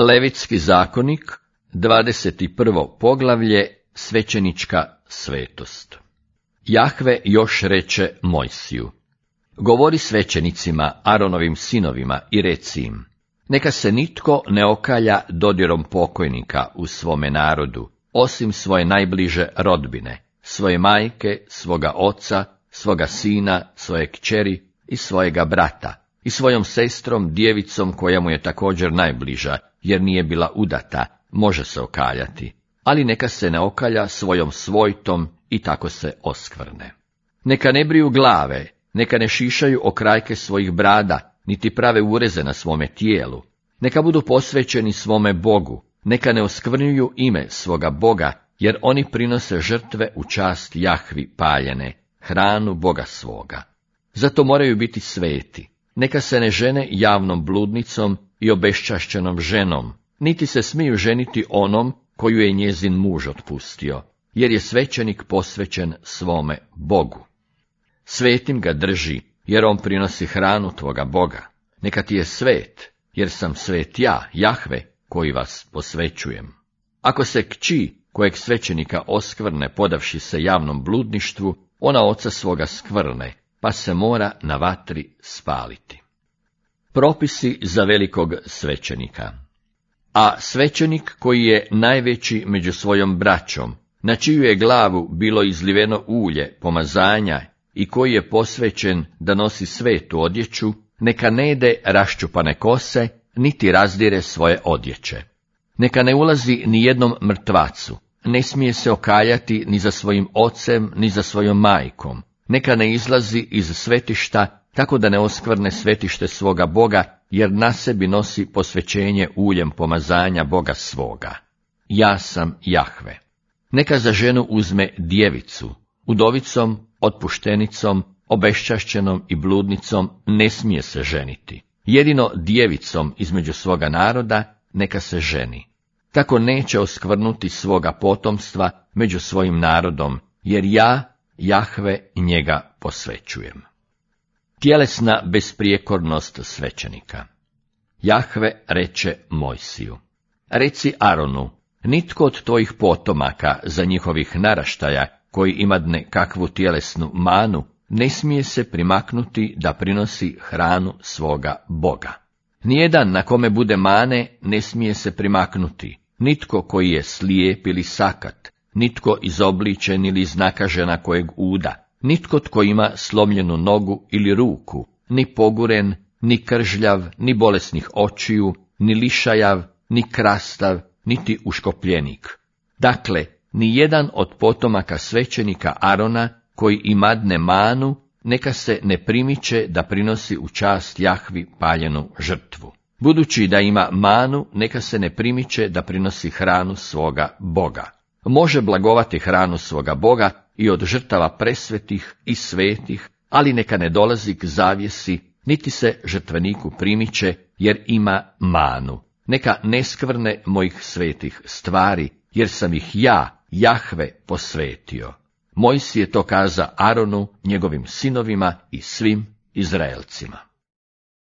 Levitski zakonik, 21. poglavlje, svećenička svetost. Jahve još reče Mojsiju: govori svećenicima, Aronovim sinovima, i reci im: neka se nitko ne okalja dodirom pokojnika u svome narodu, osim svoje najbliže rodbine, svoje majke, svoga oca, svoga sina, svoje kćeri i svojega brata, i svojom sestrom, djevicom koja mu je također najbliža, jer nije bila udata, može se okaljati, ali neka se ne okalja svojom svojtom i tako se oskvrne. Neka ne briju glave, neka ne šišaju okrajke svojih brada, niti prave ureze na svome tijelu, neka budu posvećeni svome Bogu, neka ne oskvrnjuju ime svoga Boga, jer oni prinose žrtve u čast Jahvi paljene, hranu Boga svoga. Zato moraju biti sveti. Neka se ne žene javnom bludnicom i obeščašćenom ženom, niti se smiju ženiti onom koju je njezin muž otpustio, jer je svećenik posvećen svome Bogu. Svetim ga drži, jer on prinosi hranu tvoga Boga. Neka ti je svet, jer sam svet ja, Jahve, koji vas posvećujem. Ako se kći kojeg svećenika oskvrne podavši se javnom bludništvu, ona oca svoga skvrne, pa se mora na vatri spaliti. Propisi za velikog svećenika. A svećenik koji je najveći među svojom braćom, na čiju je glavu bilo izliveno ulje pomazanja i koji je posvećen da nosi svetu odjeću, neka ne jede raščupane kose, niti razdire svoje odjeće. Neka ne ulazi ni jednom mrtvacu, ne smije se okaljati ni za svojim ocem, ni za svojom majkom. Neka ne izlazi iz svetišta, tako da ne oskvrne svetište svoga Boga, jer na sebi nosi posvećenje uljem pomazanja Boga svoga. Ja sam Jahve. Neka za ženu uzme djevicu, udovicom, otpuštenicom, obeščašćenom i bludnicom ne smije se ženiti. Jedino djevicom između svoga naroda neka se ženi. Tako neće oskvrnuti svoga potomstva među svojim narodom, jer ja, Jahve, njega posvećujem. Tjelesna besprijekornost svećenika. Jahve reče Mojsiju: reci Aronu, nitko od tvojih potomaka za njihovih naraštaja, koji imadne kakvu tjelesnu manu, ne smije se primaknuti da prinosi hranu svoga Boga. Nijedan na kome bude mane ne smije se primaknuti, nitko koji je slijep ili sakat, nitko izobličen ili iznakažena kojeg uda, nitko tko ima slomljenu nogu ili ruku, ni poguren, ni kržljav, ni bolesnih očiju, ni lišajav, ni krastav, niti uškopljenik. Dakle, ni jedan od potomaka svećenika Arona, koji imadne manu, neka se ne primiče da prinosi u čast Jahvi paljenu žrtvu. Budući da ima manu, neka se ne primiče da prinosi hranu svoga Boga. Može blagovati hranu svoga Boga i od žrtava presvetih i svetih, ali neka ne dolazi k zavjesi, niti se žrtveniku primiče, jer ima manu. Neka ne skvrne mojih svetih stvari, jer sam ih ja, Jahve, posvetio. Mojsije to kaza Aronu, njegovim sinovima i svim Izraelcima.